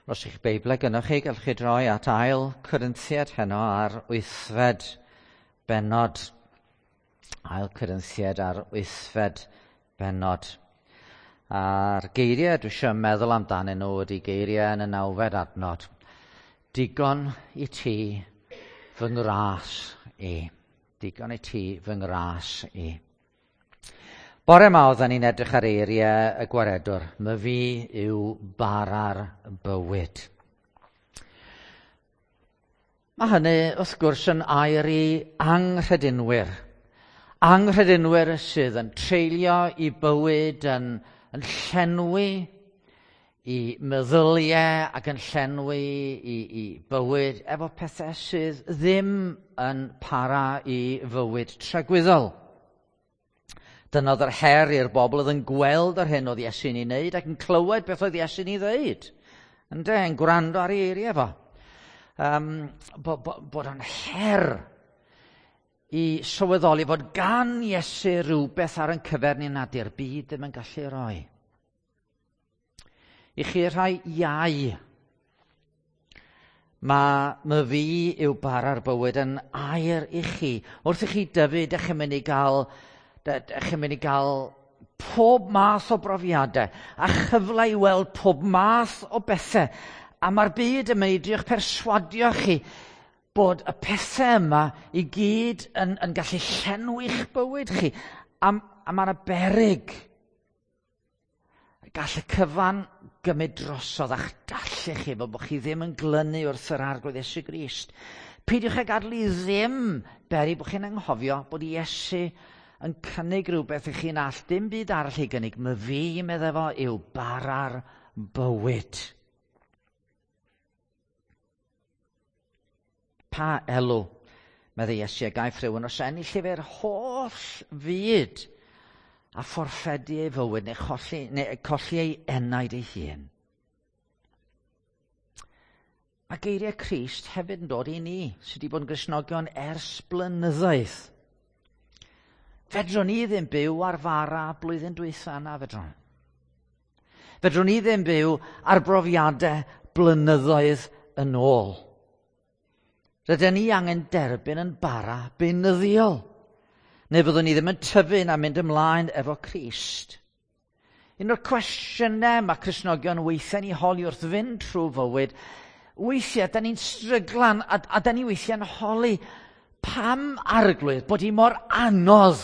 Os eich Beiblau gynnwch chi, gallwch chi droi at ail Corinthiad heno ar wythfed bennod. Ail Corinthiad ar wythfed bennod. A'r geiriau dwi eisiau meddwl amdanyn nhw ydy geiriau yn y nawfed adnod. Digon i ti fy ngras i. Digon i ti fy ngras i. Bore yma oedden ni'n edrych ar eiriau y gwaredwr. My fi yw bara'r bywyd. Mae hynny, wrth gwrs, yn air i anghredinwyr. Anghredinwyr sydd yn treulio i bywyd yn, yn llenwi i meddyliau ac yn llenwi i, i bywyd efo pethau sydd ddim yn para i fywyd tragwyddol. Dyna oedd yr her i'r bobl oedd yn gweld yr hyn oedd Iesu'n ei wneud ac yn clywed beth oedd Iesu'n ei ddeud. Ynde, yn gwrando ar ei eiriau fo. Um, bo, bo, bod o'n her i sylweddoli fod gan Iesu rhywbeth ar yn cyfer ni nad i'r byd ddim yn gallu roi. I chi rhai iau, mae my fi yw bara'r bywyd yn air i chi. Wrth i chi dyfu, dych chi'n mynd i gael, dych chi'n mynd i gael pob math o brofiadau a chyfle i weld pob math o bethau. A mae'r byd yn mynd i drio'ch perswadio chi bod y pethau yma i gyd yn, yn gallu llenwi'ch bywyd chi. A, a mae yna beryg. Gall y cyfan gymryd drosodd a'ch dallu chi fel bod chi ddim yn glynu wrth yr Arglwydd Iesu Grist. Peidiwch â gadael i ddim beri bod chi'n anghofio bod Iesu yn cynnig rhywbeth i chi'n all dim byd arall ei gynnig. My fi, meddai fo, yw bara'r bywyd. Pa elw, meddai Iesu, a gaiff rhywun os ennill i fe'r holl fyd a fforffedu ei fywyd neu colli, neu colli ei enaid ei hun. Mae geiriau Crist hefyd yn dod i ni, sydd wedi bod yn Gristnogion ers blynyddoedd. Fedrwn ni ddim byw ar fara blwyddyn dwytha na fedrwn. Fedrwn ni ddim byw ar brofiadau blynyddoedd yn ôl. Rydyn ni angen derbyn yn bara beunyddiol. Neu fyddwn ni ddim yn tyfu na mynd ymlaen efo Crist. Un o'r cwestiynau mae Cristnogion weithiau'n ei holi wrth fynd trwy fywyd, weithiau da ni'n stryglan a, a da ni weithiau'n holi pam arglwydd bod hi mor anodd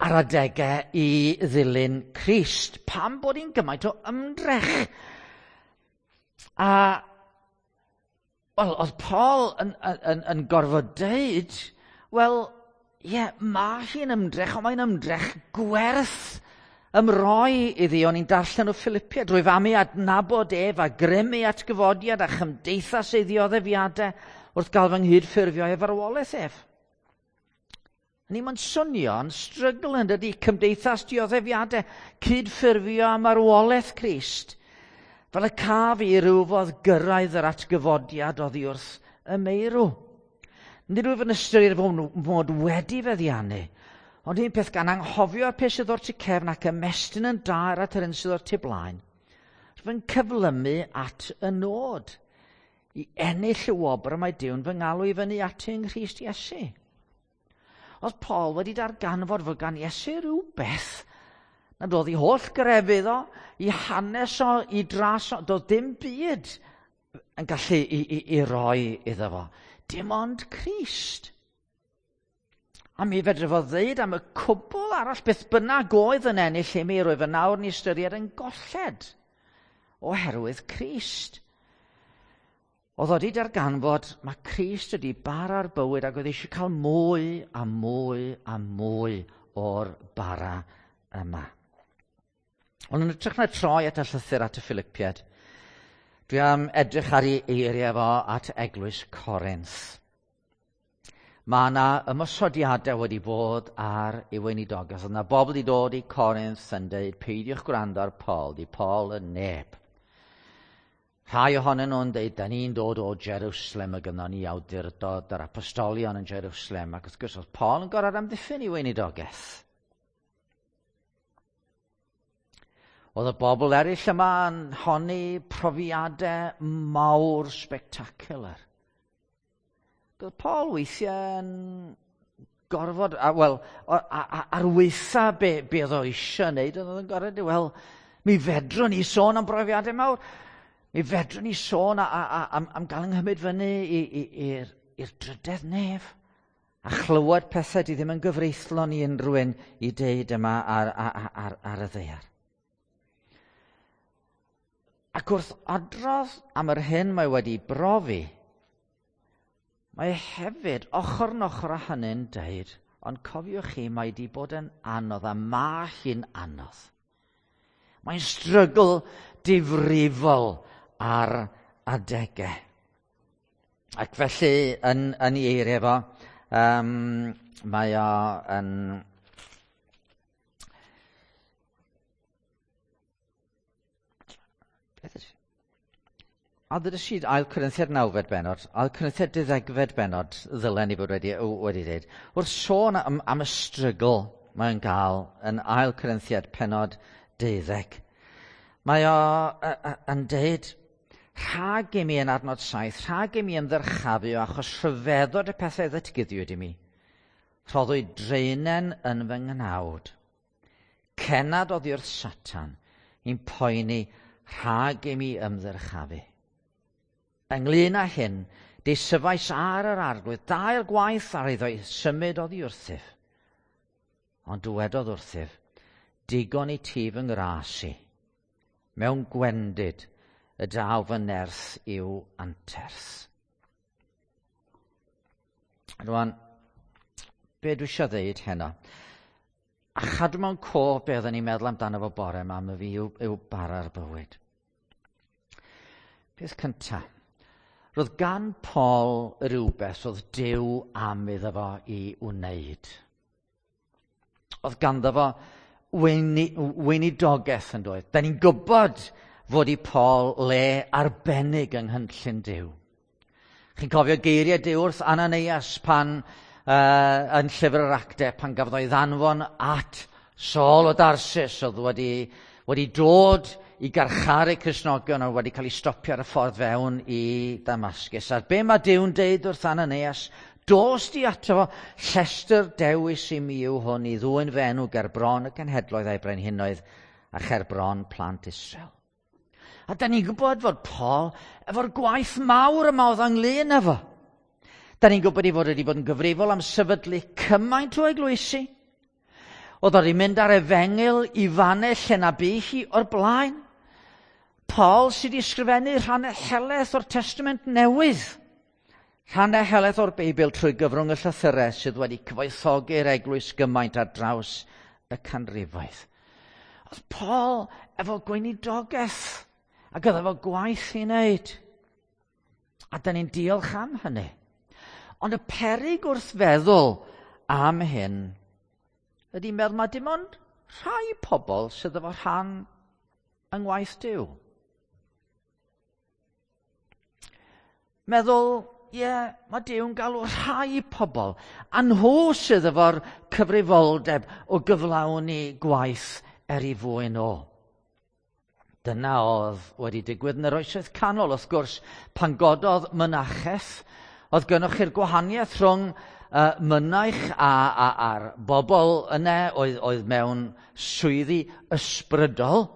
ar adegau i ddilyn Crist. Pam bod hi'n gymaint o ymdrech? A Wel, oedd Paul yn, yn, yn gorfod deud, wel, ie, yeah, mae hi'n ymdrech, ond mae'n ymdrech gwerth ymroi iddi. O'n i'n darllen o Philippia drwy famu adnabod ef a grymu atgyfodiad a chymdeithas ei ddioddefiadau wrth gael fy nghydffurfio ei farwolaeth ef. Ni mae'n swnio'n strygl yn dydy cymdeithas dioddefiadau, cydffurfio a marwolaeth Crist. Fel y caf i rywfodd gyrraedd yr atgyfodiad oddi wrth y meirw. Nid wyf yn ystyried fod mod wedi feddiannu, ond un peth gan anghofio peth sydd o'r tu cefn ac ymestyn yn daer at yr un sydd o'r tu blaen. Rwy'n cyflymu at y nod i ennill y wobr y mae Duw'n fy ngalw i fyny ati yng Nghrist Iesu. Oedd Paul wedi darganfod fod gan Iesu rhywbeth nad oedd ei holl grefydd o, i hanes o, i dras o, doedd dim byd yn gallu i, i, i roi iddo fo. Dim ond Crist. A mi fedre fo ddeud am y cwbl arall beth bynnag oedd yn ennill i mi, roedd fy nawr ni ystyried yn golled oherwydd Crist. Oedd o wedi darganfod mae Crist wedi bara'r bywyd ac oedd eisiau cael mwy a mwy a mwy o'r bara yma. Ond yn ytrach na troi at y llythyr at y Philippiad, dwi am edrych ar ei eiriau fo at eglwys Corinth. Mae yna ymosodiadau wedi bod ar ei weinidogaeth. Oedd yna bobl wedi dod i Corinth yn dweud, peidiwch gwrando ar Paul, di Paul yn neb. Rhai ohonyn nhw'n dweud, da ni'n dod o Jerusalem a gynnon ni awdurdod yr apostolion yn Jerusalem. Ac wrth gwrs, oedd Paul yn gorfod amddiffyn ei weinidogaeth. Oedd y bobl eraill yma yn honni profiadau mawr spectacular. Oedd Paul weithiau yn gorfod, a, wel, ar weitha be, be oedd o eisiau wneud, oedd o'n gorfod, wel, mi fedrwn ni sôn am brofiadau mawr. Mi fedrwn ni sôn a, a, a, am, am gael yng fyny i'r drydedd nef a chlywed pethau di ddim yn gyfreithlon i unrhyw un i deud yma ar, ar, ar, ar y ddaear. Ac wrth adrodd am yr hyn mae wedi brofi, mae hefyd ochr yn ochr â hynny'n deud, ond cofiwch chi, mae wedi bod yn anodd a mae hi'n anodd. Mae'n strygl difrifol ar adegau. Ac felly, yn, yn ei eiriau fo, um, mae o yn... Beth ydych? A ddydych chi ail Corinthiad nawfed benod, ail Corinthiad deuddegfed benod ddylen ni fod wedi, wedi dweud. Wrth sôn am, am y strygl mae'n gael yn ail Corinthiad penod 12. Mae o yn deud, rhag i mi yn adnod 7, rhag i mi ymddyrchafu achos rhyfeddod y pethau ddatguddiwyd i mi. Rhoddwyd dreinen yn fy nghnawd. Cenad oddi wrth Satan i'n poeni rhag i mi ymddyrchafu. Ynglyn â hyn, deisyfais ar yr arglwydd dair gwaith ar iddo symud oddi wrthyf. Ond dywedodd wrthyf, digon i ti fy ngras i, mewn gwendid y daw fy nerth i'w anterth. Rwan, be dwi eisiau ddeud heno? A chadw mewn cof be oedden ni'n meddwl amdano fo bore yma, am y fi yw, yw bara'r bywyd. Peth cyntaf, roedd gan Paul rhywbeth oedd Duw am iddo fo i wneud. Oedd ganddo fo weinidogaeth yn doedd. Da ni'n gwybod fod i Paul le arbennig yng nghynllun Duw. Chi'n cofio geiriau Duw wrth Ananias pan uh, yn llyfr yr actau pan gafodd o'i ddanfon at Saul o Darsus oedd wedi, wedi dod i garcharu Cristnogion oedd wedi cael ei stopio ar y ffordd fewn i Damascus. A be mae Duw'n deud wrth Ananias? Dos di ato fo, llestr dewis i mi yw hwn i ddwyn fy enw ger bron y cenhedloedd a'i brenhinoedd a cher bron plant Israel. A da ni'n gwybod fod Paul efo'r gwaith mawr yma oedd ynglyn efo. Da ni'n gwybod ei fod wedi bod yn gyfrifol am sefydlu cymaint o eglwysi. Oedd wedi mynd ar efengyl i fannau lle na bu hi o'r blaen. Paul sydd wedi ysgrifennu rhannau helaeth o'r Testament Newydd. Rhannau helaeth o'r Beibl trwy gyfrwng y llythyrau sydd wedi cyfoethogi'r eglwys gymaint ar draws y canrifoedd. Oedd Paul efo gweinidogaeth ac oedd efo gwaith i wneud. A da ni'n diolch am hynny. Ond y peryg wrth feddwl am hyn ydy meddwl mae dim ond rhai pobl sydd efo rhan yng ngwaith Duw. Meddwl, ie, yeah, mae Duw'n galw rhai pobl, a nhw sydd efo'r cyfrifoldeb o gyflawni gwaith er i fwyn o. Dyna oedd wedi digwydd yn yr oesoedd canol, wrth gwrs, pan gododd mynacheth, oedd gynnwch chi'r gwahaniaeth rhwng uh, mynaich a, a, a'r bobl yna oedd, oedd mewn swyddi ysbrydol.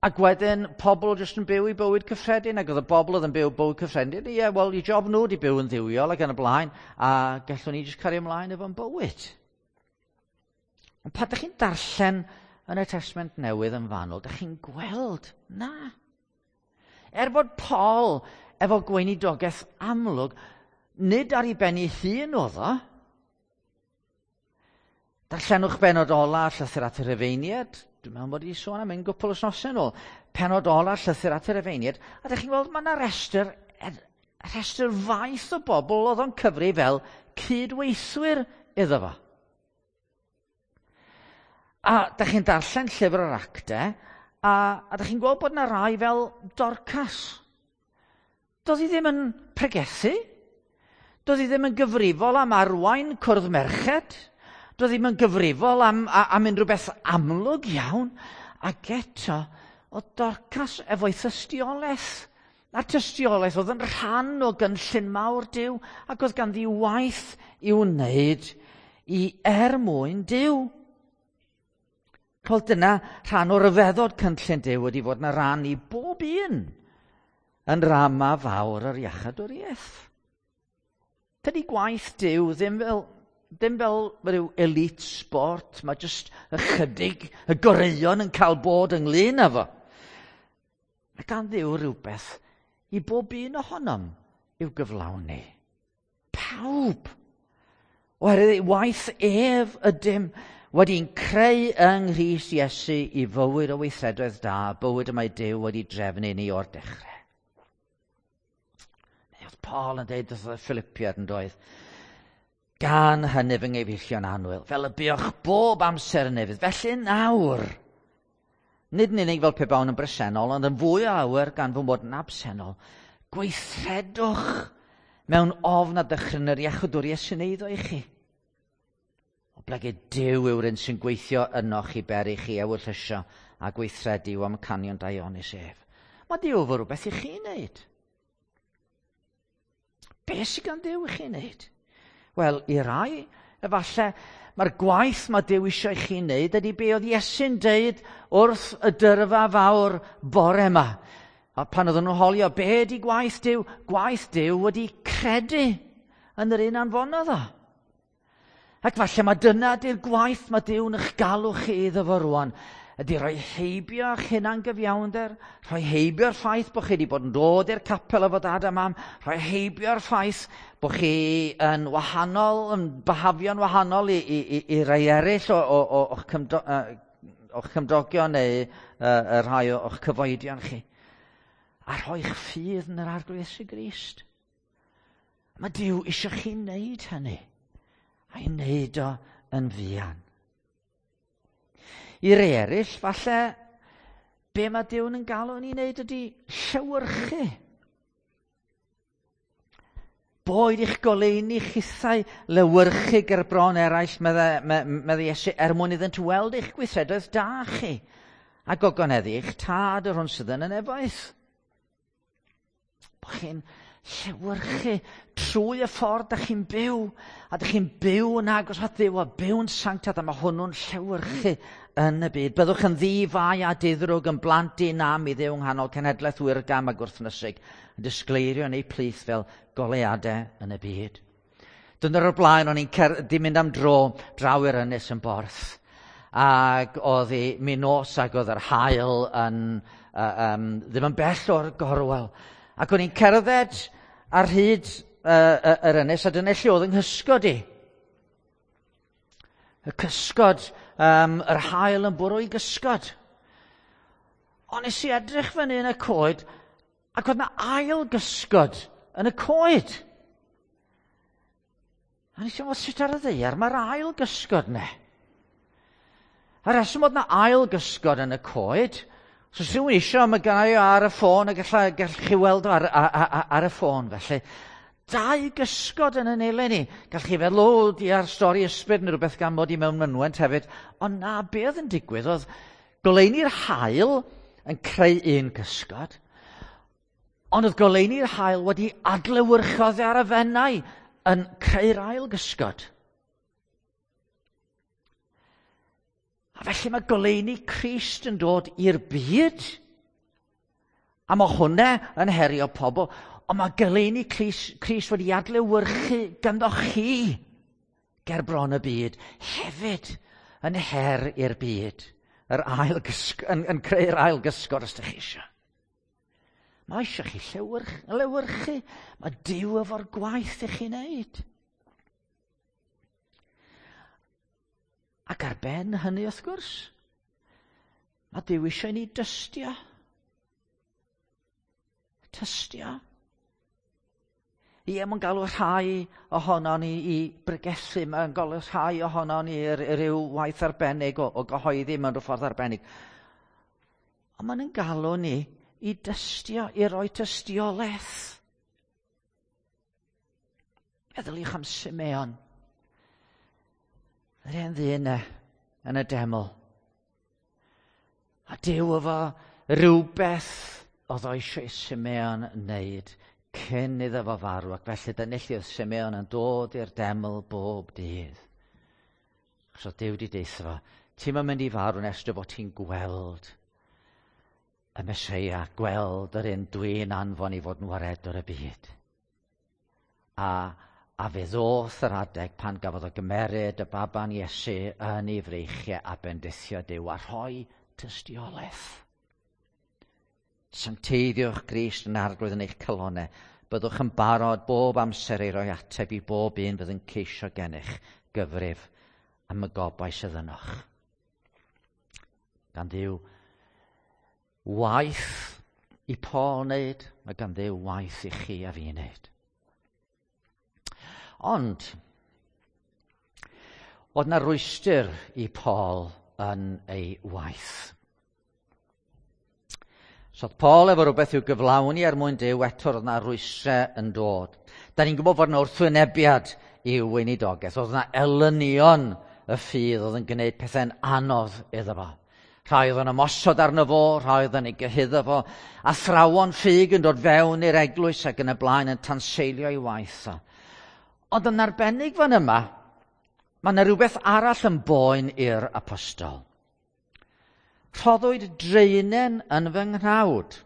Ac wedyn, pobl jyst yn byw i bywyd cyffredin, ac oedd y bobl oedd yn byw bywyd cyffredin, ie, yeah, wel, i job nhw wedi byw yn ddiwiol ac yn y blaen, a gallwn ni jyst cario ymlaen efo'n bywyd. Ond pan ydych chi'n darllen yn y Testament Newydd yn fanwl, ydych chi'n gweld, na. Er bod Paul efo gweinidogaeth amlwg, nid ar ei ben ei hun oedd o. Darllenwch benod ola llythyr at y Rufeiniaid. Dwi'n meddwl bod i sôn am un gwpl wythnosau yn ôl. Penod ola llythyr at y Rufeiniaid. A ydych chi'n gweld mae yna restr, restr faith o bobl oedd o'n cyfri fel cydweithwyr iddo fo. A da chi'n darllen llyfr yr actau, a, a da chi'n gweld bod yna rai fel Dorcas. Doedd hi ddim yn pregethu. Doedd hi ddim yn gyfrifol am arwain cwrdd merched. Doedd ddim yn gyfrifol am, am unrhyw beth amlwg iawn. Ac eto, oedd Dorcas efo'i thystiolaeth. A'r tystiolaeth oedd yn rhan o gynllun mawr Duw ac oedd ganddi waith i'w wneud i er mwyn Duw. Wel, dyna rhan o ryfeddod cynllun Duw wedi fod yn rhan i bob un yn rama fawr yr iachadwriaeth. Dydy gwaith Duw ddim fel rhyw elite sport, mae jyst ychydig y goreuon yn cael bod ynglyn â fo. Mae gan Dduw rhywbeth i bob un ohonom i'w gyflawni. Pawb. Oherwydd waith ef ydym wedi'n creu yng Nghrist Iesu i fywyd o weithredoedd da, bywyd y mae Duw wedi drefnu ni o'r dechrau. Neu oedd Paul yn dweud wrth y Philippiad, yn doedd? "Gan hynny, fy nghyfeillion annwyl, fel y buoch bob amser yn ufudd, felly nawr, nid yn unig fel pe bawn yn bresennol, ond yn fwy o lawer gan fy mod yn absennol, gweithredwch mewn ofn a dychryn yr iachawdwriaeth sy'n eiddo i chi. Oblegid Duw yw'r un sy'n gweithio ynoch i beri chi ewyllysio a gweithredu i'w amcanion daionus ef." Mae Duw efo rhywbeth i chi wneud. Be sydd gan Dduw i chi wneud? Wel, i rai, efallai, mae'r gwaith mae Duw eisiau i chi wneud ydy be oedd Iesu'n deud wrth y dyrfa fawr bore yma. A pan oedden nhw'n holio, "Be ydy gwaith Duw?" Gwaith Duw ydy credu yn yr un anfonodd o. Ac falle mae dyna ydy'r gwaith mae Duw'n eich galw chi iddo fo rwan. Ydy rhoi heibio eich hunan gyfiawnder, rhoi heibio'r ffaith bod chi wedi bod yn dod i'r capel efo dad a mam, rhoi heibio'r ffaith bod chi yn wahanol, yn byhafio'n wahanol i rai eraill o'ch cymdogion neu y rhai o'ch cyfoedion chi. A rhoi'ch ffydd yn yr Arglwydd Iesu Grist. Mae Duw eisiau chi wneud hynny. A'i wneud o yn fuan. I rai eraill, falle, be mae Duw'n yn galw ni wneud ydy llewyrchu. "Boed i'ch goleuni chithau lewyrchu ger bron eraill," medde Iesu, "er mwyn iddynt weld eich gweithredoedd da chi, a gogoneddu eich tad yr hwn sydd yn y nefoedd." Bo chi'n llewyrchu trwy y ffordd da chi'n byw, a da chi'n byw yn agos at Dduw a byw'n sanctaidd, a mae hwnnw'n llewyrchu yn y byd. "Byddwch yn ddi-fai a diddrwg, yn blant di-nam i Dduw nghanol cenhedlaeth wyrgam a gwrthnysig, yn disgleirio yn eu plith fel goleuadau yn y byd." Dyna'r o'r blaen, o'n i'n di mynd am dro draw i'r ynys yn Borth. Ac oedd hi min nos ac oedd yr haul yn, ddim yn bell o'r gorwel. Ac o'n i'n cerdded ar hyd yr ynys, a dyna lle oedd yng nghysgod i. Y cysgod, yr haul yn bwrw i gysgod. Ond nes i edrych fyny yn y coed, ac oedd yna ail gysgod yn y coed. A nes i meddwl, sut ar y ddaear mae'r ail gysgod 'ne? A reswm oedd yna ail gysgod yn y coed, so os rhywun eisiau, mae gennai ar y ffôn, a gallwch chi weld o ar y ffôn felly. Dau gysgod yn y nelen ni. Gallwch chi feddwl, o, di ar stori ysbryd neu rhywbeth gan mod i mewn mynwent hefyd. Ond na, be oedd yn digwydd oedd goleuni'r haul yn creu un gysgod, ond oedd goleuni'r haul wedi adlewyrchu ar y Fenai yn creu'r ail gysgod. A felly mae goleuni Crist yn dod i'r byd. A mae hwnna yn herio pobl. Ond mae goleuni Crist wedi adlewyrchu ganddo chi ger bron y byd. Hefyd yn her i'r byd. Yn creu'r ail gysgod, os ydych chi eisiau. Mae eisiau chi lewyrchu. Mae Duw efo'r gwaith i chi wneud. Ac ar ben hynny, wrth gwrs, mae Duw eisiau ni dystio. Tystio. Ie, mae'n galw rhai ohono ni i bregethu, mae'n galw rhai ohono ni i ryw waith arbennig o gyhoeddi mewn rhyw ffordd arbennig. Ond mae'n galw ni i dystio, i roi tystiolaeth. Meddyliwch am Simeon. Yr hen ddyn yn y deml. A Duw efo rhywbeth oedd o eisiau Simeon wneud cyn iddo fo farw, ac felly dyna lle oedd Simeon yn dod i'r deml bob dydd. Achos oedd Duw wedi deutha fo, ti'n mynd i farw nes dy fod ti'n gweld y Meseia, gweld yr un dwi'n anfon i fod yn waredwr y byd. A fe ddoth yr adeg pan gafodd o gymeryd y baban Iesu yn ei freichiau a bendithio Duw a rhoi tystiolaeth. Sancteiddiwch Grist yn arglwydd yn eich calonau. Byddwch yn barod bob amser i roi ateb i bob un fydd yn ceisio gennych gyfrif am y gobaith sydd ynoch. Gan Dduw waith i Paul wneud, mae gan Dduw waith i chi a fi wneud. Ond, oedd na rwystr i Paul yn ei waith. So oedd Paul efo rhywbeth i'w gyflawni er mwyn Duw, eto roedd na rwystrau yn dod. Da ni'n gwybod fod yna wrthwynebiad i'w weinidogaeth. Oedd yna elynion y ffydd oedd yn gwneud pethau'n anodd iddo fo. Rhai oedd yn ymosod arno fo, rhai oedd yn ei gyhuddo fo. Athrawon ffug yn dod fewn i'r eglwys ac yn y blaen yn tanseilio ei waith o. Ond yn arbennig fan yma, mae yna rhywbeth arall yn boen i'r apostol. Rhoddwyd draenen yn fy nghnawd.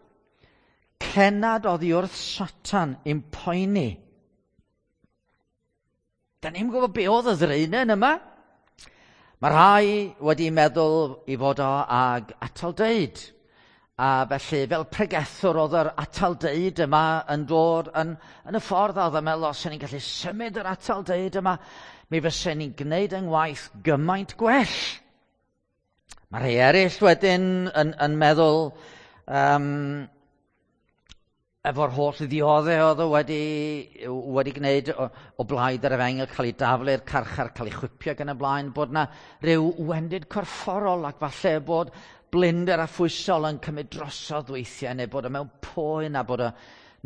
Cennad oddi wrth Satan i'm poeni. Da ni'n gwybod be oedd y ddraenen yma. Mae rhai wedi meddwl i fod o ag atal deud. A felly, fel pregethwr, oedd yr atal deud yma yn dod yn y ffordd oedd yn meddwl, os ni'n gallu symud yr atal deud yma, mi fysen ni'n gwneud yng ngwaith gymaint gwell. Mae rhai eraill wedyn yn meddwl efo'r holl ddioddef oedd o wedi gwneud o blaid yr efengyl, cael ei daflu i'r carchar, cael ei chwipio gan y blaen, bod yna rhyw wendid corfforol ac falle bod blinder a phwysol yn cymryd drosodd weithiau, neu bod o mewn poen a bod o,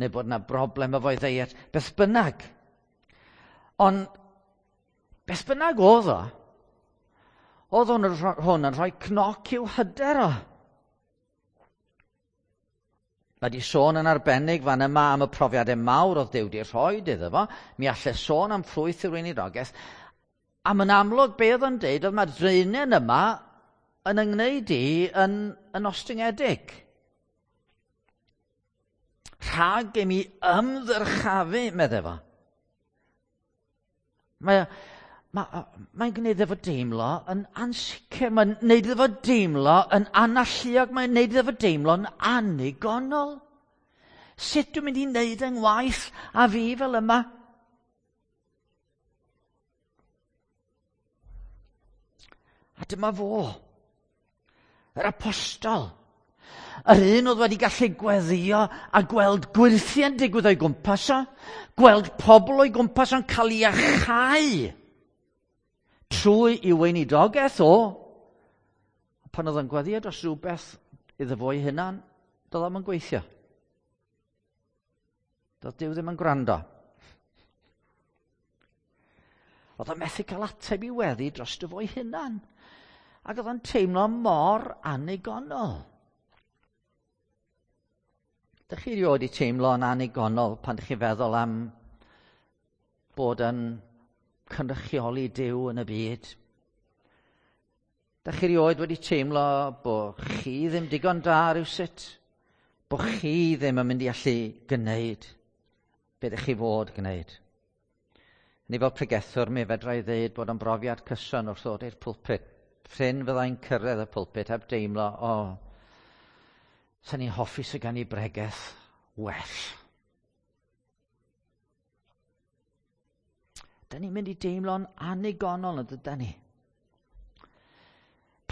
neu bod yna broblem efo'i ddeiet, beth bynnag. Ond beth bynnag oedd o, oedd hwn yn rhoi cnoc i'w hyder o. Mae di sôn yn arbennig fan yma am y profiadau mawr oedd Duw wedi rhoi iddo fo. Mi allai sôn am ffrwyth yr weinidogaeth. A mae'n amlwg be oedd o'n deud oedd mae'r draenen yma yn yngwneud i yn ostyngedig. Rhag i mi ymddyrchafu, meddai fo. Mae'n gwneud efo deimlo yn ansicr, mae'n gwneud efo deimlo yn analluog, mae'n gwneud efo deimlo yn annigonol. Sut dwi'n mynd i wneud yng ngwaith a fi fel yma? A dyma fo, yr apostol, yr un oedd wedi gallu gweddio a gweld gwyrthiau'n digwydd o'i gwmpas o, gweld pobl o'i gwmpas o'n cael ei achau trwy i weinidogaeth o. Pan oedd yn gweddio dros rhywbeth iddo fo'i hunan, doedd o'm yn gweithio. Doedd Duw ddim yn gwrando. Oedd o'n methu cael ateb i weddi dros dy fo'i hunan. Ac oedd o'n teimlo mor annigonol. Dych chi erioed 'di teimlo yn annigonol pan dych chi'n feddwl am bod yn cynrychioli Duw yn y byd? Dych chi erioed wedi teimlo bod chi ddim digon da rywsut? Bod chi ddim yn mynd i allu gwneud be ydych chi fod gwneud? Ni fel pregethwr, mi fedra i ddeud bod yn brofiad cyson wrth ddod i'r pulpit. Prin fyddai'n cyrraedd y pulpit heb deimlo, o, sa'n ni'n hoffi sydd gan i bregeth well. Da ni'n mynd i deimlo'n annigonol yn dydan ni.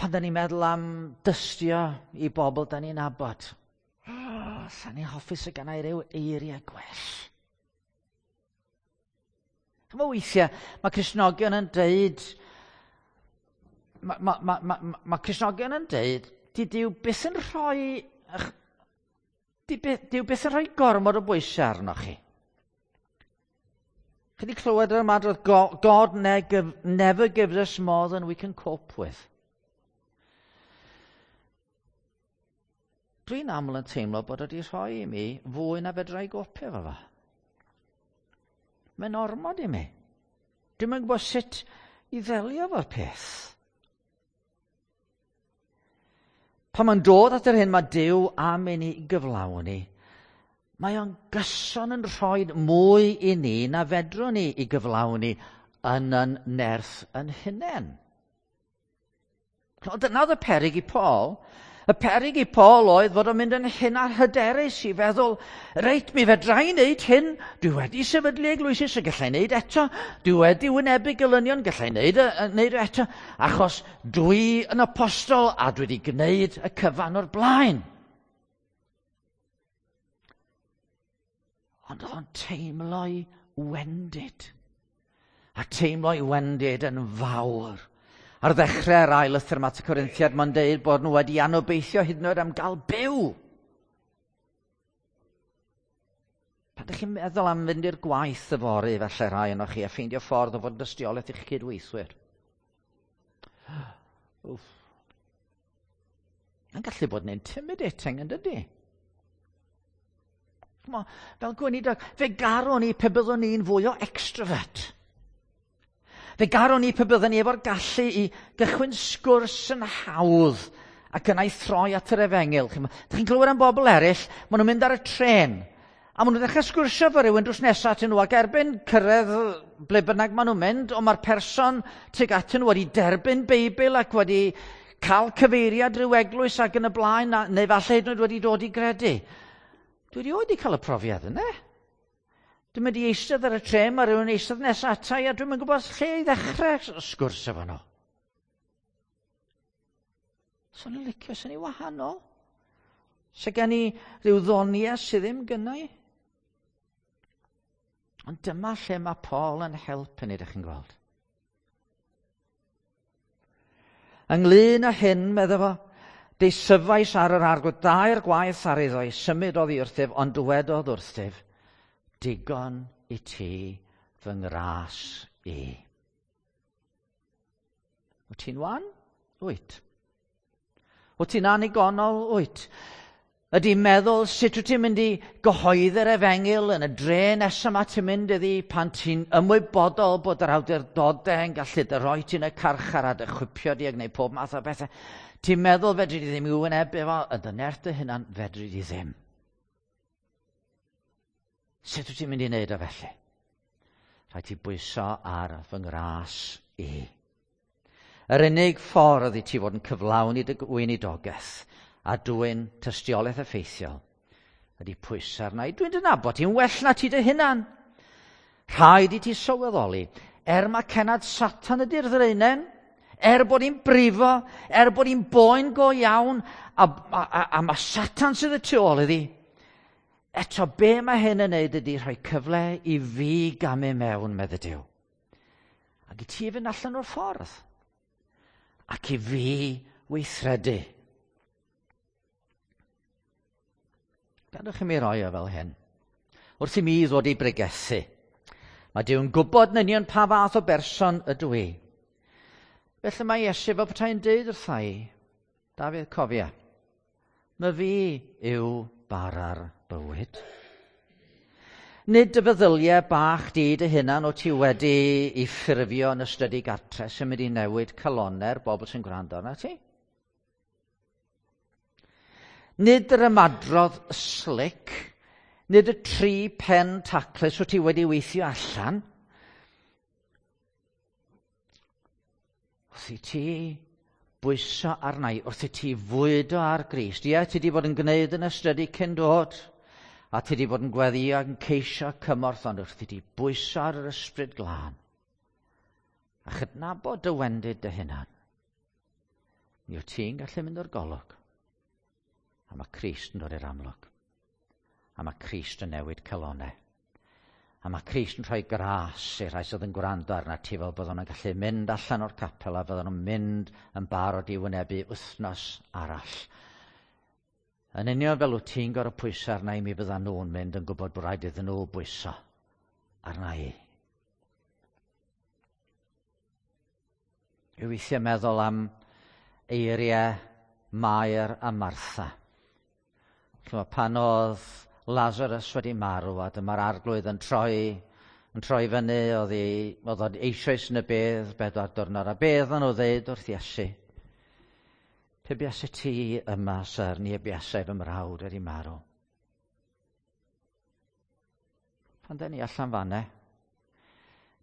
Pan da ni'n meddwl am dystio i bobl da ni'n nabod, sa'n ni'n hoffi sydd gan i ryw eiriau gwell. Chymod weithiau, mae Cristnogion yn deud, mae Cristnogion yn deud, di Duw byth yn rhoi, Duw byth yn rhoi gormod o bwysau arnoch chi. Chi wedi clywed yr ymadrodd, God never gives us more than we can cope with. Dwi'n aml yn teimlo bod wedi rhoi i mi fwy na fedra i gopio efo fo. Mae'n ormod i mi. Dwi'm yn gwybod sut i ddelio efo'r peth. Pan mae'n dod at yr hyn mae Duw am i ni gyflawni, mae o'n gyson yn rhoi mwy i ni na fedrwn ni i gyflawni yn yn nerth yn hunain. Dyna oedd y peryg i Paul. Y peryg i Paul oedd fod o'n mynd yn hyn a hyderus i feddwl, reit, mi fedra i wneud hyn, dwi wedi sefydlu eglwysi so gallai wneud eto, dwi wedi wynebu gelynion, gallai wneud, wneud eto, achos dwi yn apostol a dwi wedi gwneud y cyfan o'r blaen. Ond oedd o'n teimlo'i wendid. A teimlo'i wendid yn fawr. Ar ddechrau'r ail lythyr yma at y Corinthiad, mae'n deud bod nhw wedi anobeithio hyd yn oed am gael byw. Pan ydych chi'n meddwl am fynd i'r gwaith yfory, falle rhai yno chi, a ffeindio ffordd o fod yn dystiolaeth i'ch cydweithwyr. Wff. Mae'n gallu bod yn intimidating, yn dydy? Ch'mo', fel gweinidog, fe garwn i pe byddwn ni'n fwy o extrovert. Fe garwn i pe byddwn ni efo'r gallu i gychwyn sgwrs yn hawdd ac yna i throi at yr efengyl. Chi'n chi'n clywed am bobl eraill, maen nhw'n mynd ar y tren, a maen nhw'n dechrau sgwrsio efo rhywun drws nesaf atyn nhw, ac erbyn cyrraedd ble bynnag maen nhw'n mynd, ond mae'r person tuag atyn nhw wedi derbyn Beibl ac wedi cael cyfeiriad rhyw eglwys ac yn y blaen, neu falle hyd yn oed wedi dod i gredu. Dwi erioed wedi cael y profiad yna. Dwi'n mynd i eistedd ar y trên, mae rhywun eistedd nesaf ata i, a dwi'n mynd gwybod lle i ddechrau sgwrs efo nhw. Swn i'n licio, swn i'n wahanol. Se gen i rhyw ddoniau sydd ddim gynna i. Ond dyma lle mae Paul yn helpu ni, ydych chi'n gweld. Ynglyn â hyn, medda fo, deisyfais ar yr arglwydd dair gwaith ar iddo i symud oddi wrthyf, ond dywedodd wrthyf, digon i ti fy ngras i. Wyt ti'n wan? Wyt. Wyt ti'n annigonol? Wyt. Ydy meddwl sut wyt ti'n mynd i gyhoeddi'r efengyl yn y dre nesaf yma ti'n mynd iddi pan ti'n ymwybodol bod yr awdurdodau yn gallu dy roi ti'n y carchar a dy chwipio di a gwneud pob math o bethau. Ti'n meddwl fedri di ddim i wynebu fo, yn dy nerth dy hunan fedri di ddim. Sut wyt ti'n mynd i wneud o felly? Rhaid ti bwyso ar fy ngras i. Yr unig ffordd i ti fod yn cyflawni dy weinidogaeth a dwyn tystiolaeth effeithiol ydy pwyso arna i. Dwi'n dy nabod ti'n well na ti dy hunan. Rhaid i ti sylweddoli, er mae cenad Satan ydy'r ddraenen, er bod hi'n brifo, er bod hi'n boen go iawn, a, a, a, a mae Satan sydd y tu ôl iddi, eto be mae hyn yn neud ydy rhoi cyfle i fi gamu mewn, medde Duw. Ac i ti fynd allan o'r ffordd. Ac i fi weithredu. Gadwch i mi roi o fel hyn. Wrth i mi ddod i bregethu, mae Duw'n gwybod yn union pa fath o berson ydw i. Felly mae Iesu fel petai'n deud wrtha i, Dafydd, cofia, my fi yw bara'r bywyd. Nid dy feddyliau bach di dy hunan o ti wedi i ffurfio yn ystod i gartre sy'n mynd i newid calonnau'r bobl sy'n gwrando arna ti. Nid yr ymadrodd slick, nid y tri pen taclus wyt ti wedi weithio allan. Wrth i ti bwyso arna i, wrth i ti fwydo ar Grist. Ie, ti wedi bod yn gwneud yn ystydu cyn dod, a ti wedi bod yn gweddio ac yn ceisio cymorth, ond wrth i ti bwyso ar yr ysbryd glân, a chydnabod dy wendid dy hunan, mi wyt ti'n gallu mynd o'r golwg. A mae Crist yn dod i'r amlwg. A mae Crist yn newid calonau. A mae Crist yn rhoi gras i'r rhai sydd yn gwrando arna ti fel byddwn nhw'n gallu mynd allan o'r capel a byddwn nhw'n mynd yn barod i wynebu wythnos arall. Yn union fel wyt ti'n gorfod pwyso arna i mi fyddan nhw'n mynd yn gwybod bod rhaid iddyn nhw bwyso arna i. Dwi weithiau meddwl am eiriau Mair a Martha. Chymod, pan oedd Lazarus wedi marw a dyma'r arglwydd yn troi, yn troi fyny, oedd, i, oedd o'n eisoes yn y bedd bedwar diwrnod, a bedd nhw ddeud wrth Iesu, pe buasai ti yma, syr, ni y buasai fy mrawd wedi marw. Pan da ni allan fanne,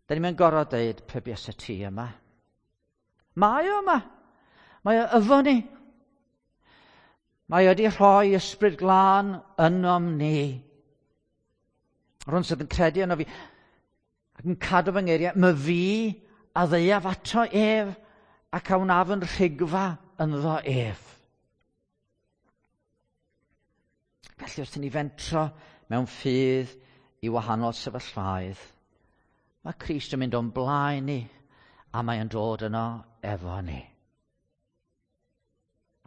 da ni'n gorfod deud pe buasai ti yma. Mae o yma. Mae o efo ni. Mae o wedi rhoi ysbryd glân ynom ni. Rhwng sydd yn credu yno fi ac yn cadw fy ngeiriau, my fi a ddeuaf ato ef ac a wnaf yn rhigfa ynddo ef. Felly wrth i ni fentro mewn ffydd i wahanol sefyllfaoedd, mae Crist yn mynd o'n blaen ni a mae o'n dod yno efo ni.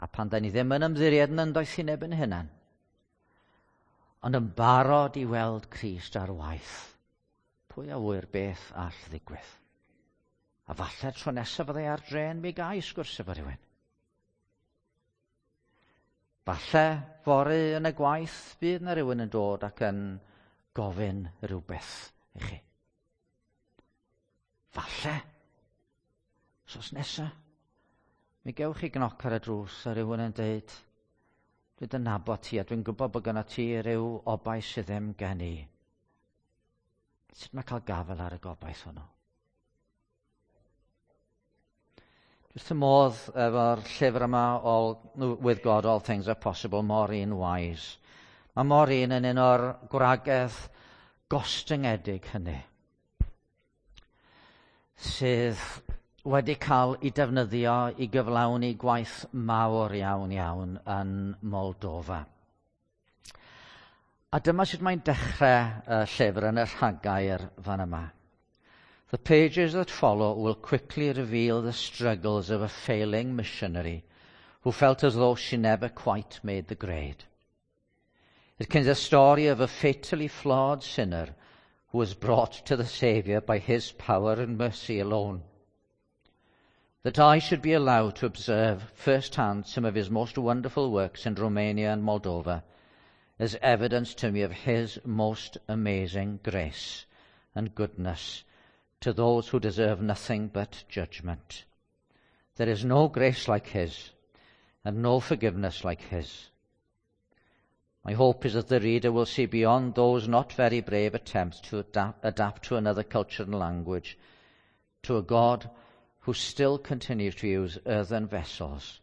A pan da ni ddim yn ymddiried yn yndoethineb yn hunan, ond yn barod i weld Crist ar waith, pwy a ŵyr beth all ddigwydd? A falle tro nesaf fyddai ar dren mi gai sgwrs efo rhywun. Falle fory yn y gwaith bydd na rhywun yn dod ac yn gofyn rhywbeth i chi. Falle, sos nesa, mi gewch chi gnoc ar y drws a rhywun yn deud, dwi'n dy nabod ti a dwi'n gwybod bod gyda ti rhyw obaith sydd ddim gen i. Sut mae cael gafael ar y gobaith hwnnw? Wrth y modd efo'r llyfr yma, all, With God All Things Are Possible, Maureen Wise. Mae Maureen yn un o'r gwragedd gostyngedig hynny sydd wedi cael ei defnyddio i gyflawni gwaith mawr iawn iawn yn Moldova. A dyma sut mae'n dechrau y llyfr yn y rhagair fan yma. The pages that follow will quickly reveal the struggles of a failing missionary who felt as though she never quite made the grade. It contains a story of a fatally flawed sinner who was brought to the Saviour by his power and mercy alone. That I should be allowed to observe firsthand some of his most wonderful works in Romania and Moldova is evidence to me of his most amazing grace and goodness to those who deserve nothing but judgment. There is no grace like his and no forgiveness like his. My hope is that the reader will see beyond those not very brave attempts to adapt, adapt to another culture and language to a God who still continues to use earthen vessels,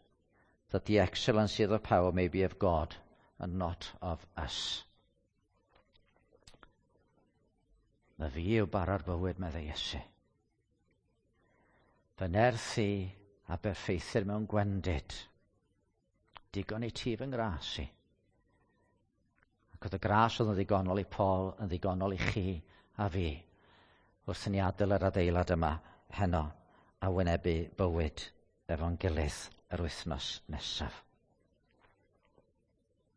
that the excellency of the power may be of God and not of us. Na fi yw bara'r bywyd, meddai Iesu. Fy nerth i a berffeithir mewn gwendid. Digon i ti fy ngras i. Ac oedd y gras oedd yn ddigonol i Paul yn ddigonol i chi a fi wrth i ni adael yr adeilad yma heno a wynebu bywyd efo'n gilydd yr wythnos nesaf.